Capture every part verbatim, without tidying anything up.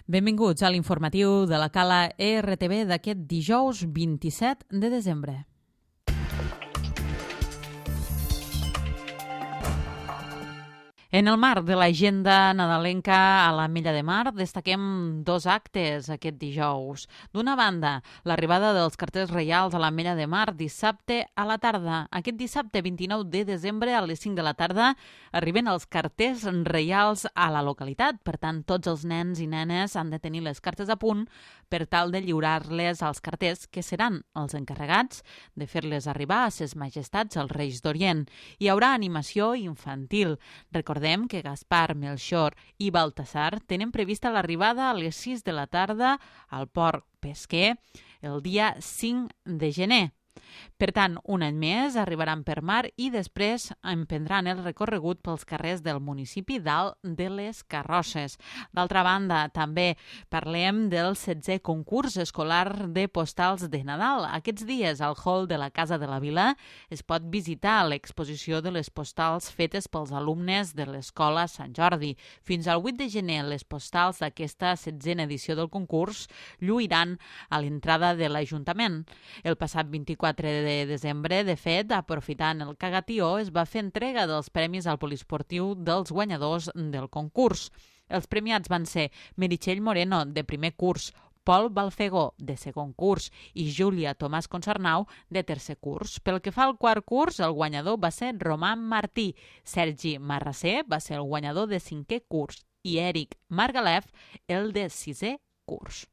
Benvinguts a l'informatiu de la Cala E R T B d'aquest dijous vint-i-set de desembre. En el marc de l'agenda nadalenca a l'Ametlla de Mar destaquem dos actes aquest dijous. D'una banda, l'arribada dels carters reials a l'Ametlla de Mar dissabte a la tarda. Aquest dissabte vint-i-nou de desembre a les cinc de la tarda arriben els carters reials a la localitat. Per tant, tots els nens i nenes han de tenir les cartes a punt per tal de lliurar-les als carters que seran els encarregats de fer-les arribar a ses majestats els Reis d'Orient. Hi haurà animació infantil. Recordem que Gaspar, Melchor i Baltasar tenen prevista l'arribada a les sis de la tarda al port pesquer el dia cinc de gener. Per tant, un any més arribaran per mar i després emprendran el recorregut pels carrers del municipi dalt de les Carrosses. D'altra banda, també parlem del setzè concurs escolar de postals de Nadal. Aquests dies, al hall de la Casa de la Vila, es pot visitar l'exposició de les postals fetes pels alumnes de l'Escola Sant Jordi. Fins al vuit de gener, les postals d'aquesta setzena edició del concurs lluiran a l'entrada de l'Ajuntament. El passat vint-i-quatre de desembre, de fet, aprofitant el cagatió, es va fer entrega dels premis al poliesportiu dels guanyadors del concurs. Els premiats van ser Meritxell Moreno, de primer curs, Pol Balfegó, de segon curs, i Júlia Tomàs Consarnau, de tercer curs. Pel que fa al quart curs, el guanyador va ser Roman Martí. Sergi Marrasser va ser el guanyador de cinquè curs i Eric Margalef, el de sisè curs.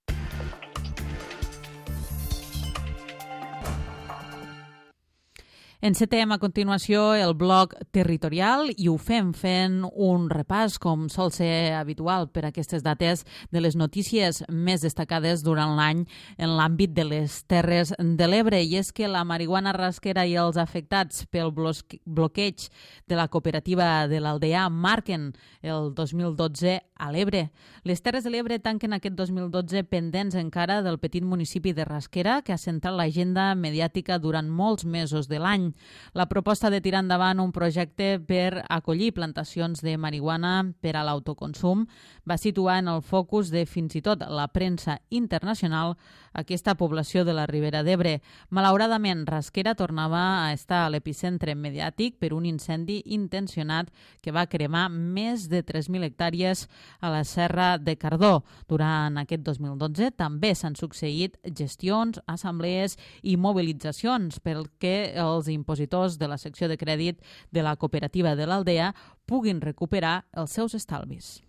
Encetem a continuació el bloc territorial i ho fem fent un repàs, com sol ser habitual per aquestes dates, de les notícies més destacades durant l'any en l'àmbit de les Terres de l'Ebre. I és que la marihuana rasquera i els afectats pel bloqueig de la cooperativa de l'Aldea marquen el dos mil dotze a l'Ebre. Les Terres de l'Ebre tanquen aquest dos mil dotze pendents encara del petit municipi de Rasquera, que ha centrat l'agenda mediàtica durant molts mesos de l'any. La proposta de tirar endavant un projecte per acollir plantacions de marihuana per a l'autoconsum va situar en el focus de fins i tot la premsa internacional aquesta població de la Ribera d'Ebre. Malauradament, Rasquera tornava a estar a l'epicentre mediàtic per un incendi intencionat que va cremar més de tres mil hectàrees a la Serra de Cardó. Durant aquest dos mil dotze també s'han succeït gestions, assemblees i mobilitzacions perquè els impositors de la secció de crèdit de la cooperativa de l'Aldea puguin recuperar els seus estalvis.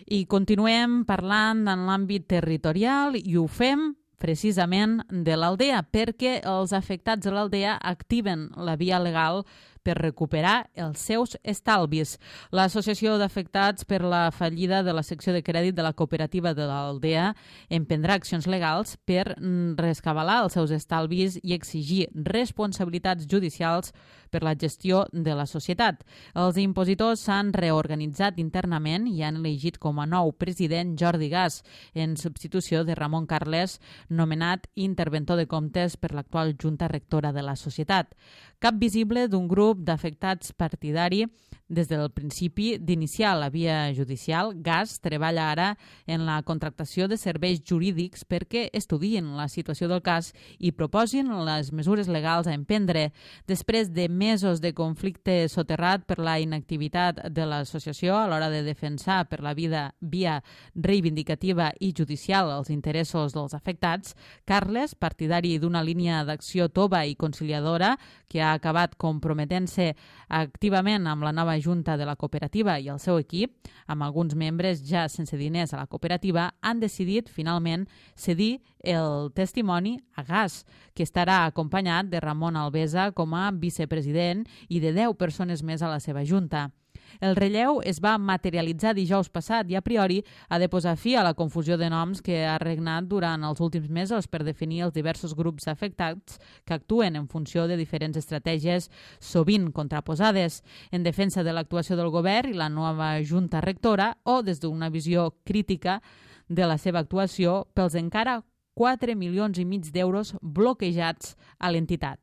I continuem parlant en l'àmbit territorial i ho fem precisament de l'Aldea, perquè els afectats de l'Aldea activen la via legal per recuperar els seus estalvis. L'Associació d'Afectats per la fallida de la secció de crèdit de la cooperativa de l'Aldea emprendrà accions legals per rescabalar els seus estalvis i exigir responsabilitats judicials per la gestió de la societat. Els impositors s'han reorganitzat internament i han elegit com a nou president Jordi Gas, en substitució de Ramon Carles, nomenat interventor de comptes per l'actual junta rectora de la societat. Cap visible d'un grup d'afectats partidari des del principi d'iniciar la via judicial. Gas treballa ara en la contractació de serveis jurídics perquè estudien la situació del cas i proposin les mesures legals a emprendre. Després de mesos de conflicte soterrat per la inactivitat de l'associació a l'hora de defensar per la vida via reivindicativa i judicial els interessos dels afectats, Carles, partidari d'una línia d'acció tova i conciliadora que ha acabat comprometent-se activament amb la nova junta de la cooperativa i el seu equip, amb alguns membres ja sense diners a la cooperativa, han decidit finalment cedir el testimoni a Gas, que estarà acompanyat de Ramon Alvesa com a vicepresident i de deu persones més a la seva junta. El relleu es va materialitzar dijous passat i a priori ha de posar fi a la confusió de noms que ha regnat durant els últims mesos per definir els diversos grups afectats que actuen en funció de diferents estratègies sovint contraposades en defensa de l'actuació del govern i la nova junta rectora o des d'una visió crítica de la seva actuació pels encara quatre milions i mig d'euros bloquejats a l'entitat.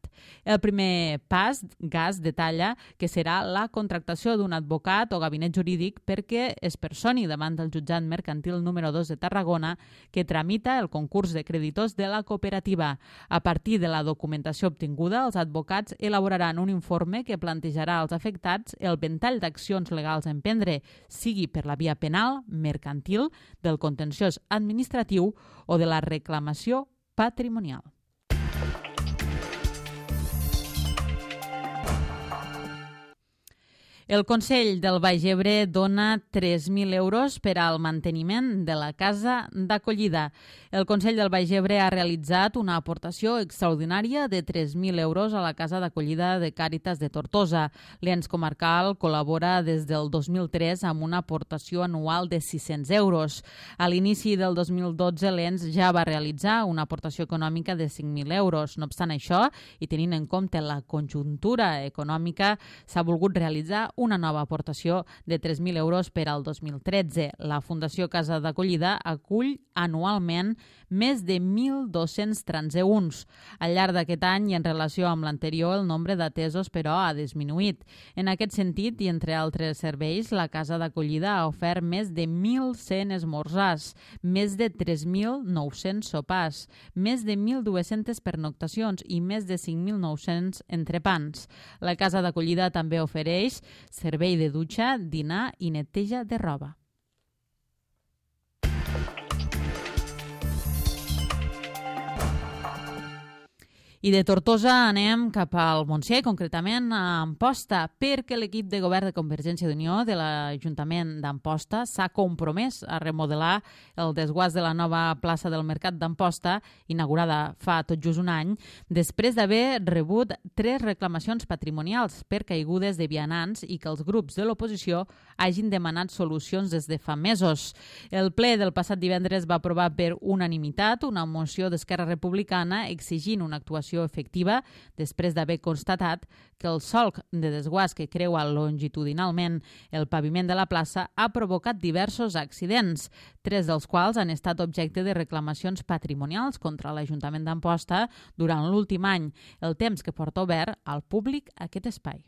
El primer pas, Gas detalla que serà la contractació d'un advocat o gabinet jurídic perquè es personi davant del jutjat mercantil número dos de Tarragona que tramita el concurs de creditors de la cooperativa. A partir de la documentació obtinguda, els advocats elaboraran un informe que plantejarà als afectats el ventall d'accions legals a emprendre, sigui per la via penal, mercantil, del contenciós administratiu o de la reclamació patrimonial. El Consell del Baix Ebre dona tres mil euros per al manteniment de la casa d'acollida. El Consell del Baix Ebre ha realitzat una aportació extraordinària de tres mil euros a la casa d'acollida de Càritas de Tortosa. L'ens comarcal col·labora des del dos mil tres amb una aportació anual de sis-cents euros. A l'inici del dos mil dotze, l'ens ja va realitzar una aportació econòmica de cinc mil euros. No obstant això, i tenint en compte la conjuntura econòmica, s'ha volgut realitzar una nova aportació de tres mil euros per al dos mil tretze. La Fundació Casa d'Acollida acull anualment més de mil dos-cents transeünts. Al llarg d'aquest any i en relació amb l'anterior, el nombre d'atesos, però, ha disminuït. En aquest sentit, i entre altres serveis, la Casa d'Acollida ha ofert més de mil cent esmorzars, més de tres mil nou-cents sopars, més de mil dues-centes pernoctacions i més de cinc mil nou-cents entrepans. La Casa d'Acollida també ofereix servei de dutxa, dinar i neteja de roba. I de Tortosa anem cap al Montsià, concretament a Amposta, perquè l'equip de govern de Convergència d'Unió de l'Ajuntament d'Amposta s'ha compromès a remodelar el desguàs de la nova plaça del Mercat d'Amposta, inaugurada fa tot just un any, després d'haver rebut tres reclamacions patrimonials per caigudes de vianants i que els grups de l'oposició hagin demanat solucions des de fa mesos. El ple del passat divendres va aprovar per unanimitat una moció d'Esquerra Republicana exigint una actuació efectiva després d'haver constatat que el solc de desguàs que creua longitudinalment el paviment de la plaça ha provocat diversos accidents, tres dels quals han estat objecte de reclamacions patrimonials contra l'Ajuntament d'Amposta durant l'últim any, el temps que porta obert al públic aquest espai.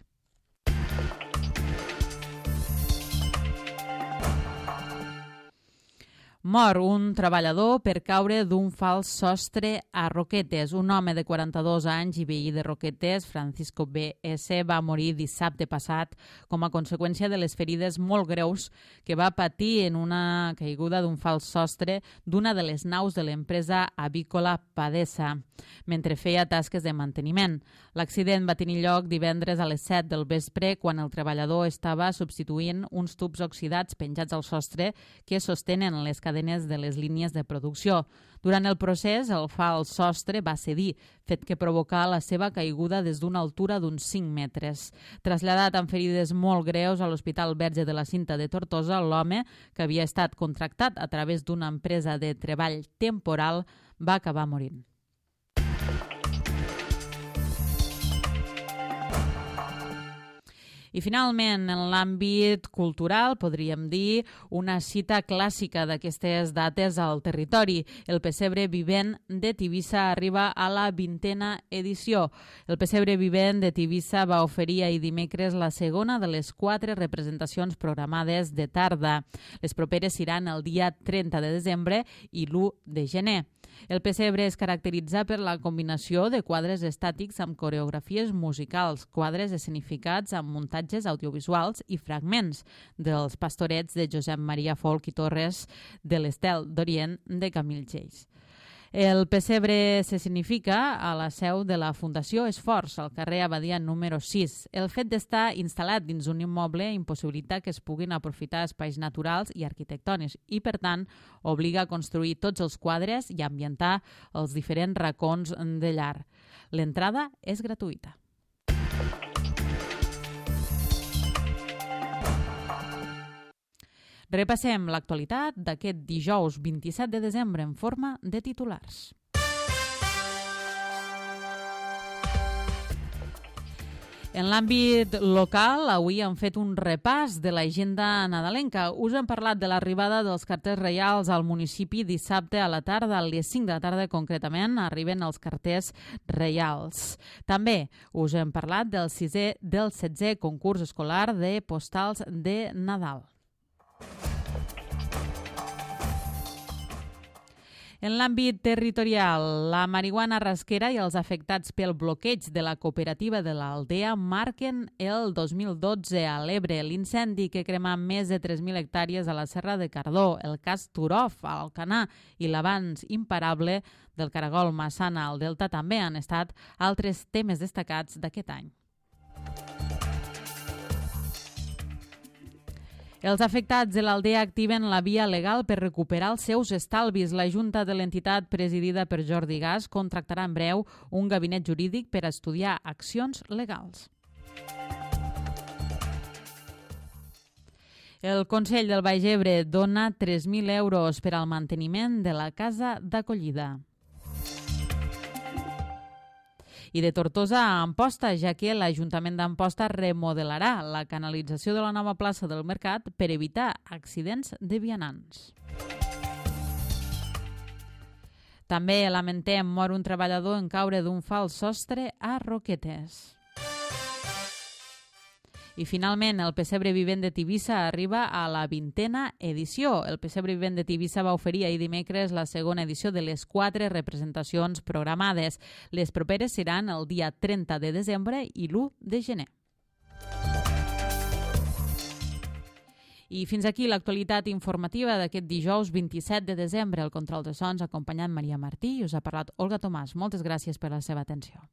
Mor un treballador per caure d'un fals sostre a Roquetes. Un home de quaranta-dos anys i veí de Roquetes, Francisco B S, va morir dissabte passat com a conseqüència de les ferides molt greus que va patir en una caiguda d'un fals sostre d'una de les naus de l'empresa avícola Padesa, mentre feia tasques de manteniment. L'accident va tenir lloc divendres a les set del vespre quan el treballador estava substituint uns tubs oxidats penjats al sostre que sostenen les cadenes de les línies de producció. Durant el procés, el fals sostre va cedir, fet que provocà la seva caiguda des d'una altura d'uns cinc metres. Traslladat amb ferides molt greus a l'Hospital Verge de la Cinta de Tortosa, l'home, que havia estat contractat a través d'una empresa de treball temporal, va acabar morint. I finalment, en l'àmbit cultural, podríem dir una cita clàssica d'aquestes dates al territori. El Pessebre Vivent de Tivissa arriba a la vintena edició. El Pessebre Vivent de Tivissa va oferir ahir dimecres la segona de les quatre representacions programades de tarda. Les properes seran el dia trenta de desembre i l'u de gener. El pessebre es caracteritza per la combinació de quadres estàtics amb coreografies musicals, quadres escenificats amb muntatges audiovisuals i fragments dels pastorets de Josep Maria Folch i Torres, de l'Estel d'Orient de Camil Geix. El pessebre se significa a la seu de la Fundació Esforç, al carrer Abadia número sis. El fet d'estar instal·lat dins un immoble impossibilita que es puguin aprofitar espais naturals i arquitectònics i, per tant, obliga a construir tots els quadres i a ambientar els diferents racons de llar. L'entrada és gratuïta. Repassem l'actualitat d'aquest dijous vint-i-set de desembre en forma de titulars. En l'àmbit local, avui hem fet un repàs de l'agenda nadalenca. Us hem parlat de l'arribada dels carters reials al municipi dissabte a la tarda, a les cinc de la tarda concretament, arriben els carters reials. També us hem parlat del sisè del setzè concurs escolar de postals de Nadal. En l'àmbit territorial, la marihuana rasquera i els afectats pel bloqueig de la cooperativa de l'Aldea marquen el dos mil dotze a l'Ebre. L'incendi que crema més de tres mil hectàrees a la Serra de Cardó, el cas Turov a Alcanar i l'avanç imparable del caragol Massana al Delta també han estat altres temes destacats d'aquest any. Els afectats de l'Aldea activen la via legal per recuperar els seus estalvis. La Junta de l'entitat, presidida per Jordi Gas, contractarà en breu un gabinet jurídic per estudiar accions legals. El Consell del Baix Ebre dona tres mil euros per al manteniment de la casa d'acollida. I de Tortosa a Amposta, ja que l'Ajuntament d'Amposta remodelarà la canalització de la nova plaça del Mercat per evitar accidents de vianants. També lamentem mor un treballador en caure d'un fals sostre a Roquetes. I finalment, el Pessebre Vivent de Tivissa arriba a la vintena edició. El Pessebre Vivent de Tivissa va oferir ahir dimecres la segona edició de les quatre representacions programades. Les properes seran el dia trenta de desembre i l'u de gener. I fins aquí l'actualitat informativa d'aquest dijous vint-i-set de desembre. El control de sons acompanyant Maria Martí i us ha parlat Olga Tomàs. Moltes gràcies per la seva atenció.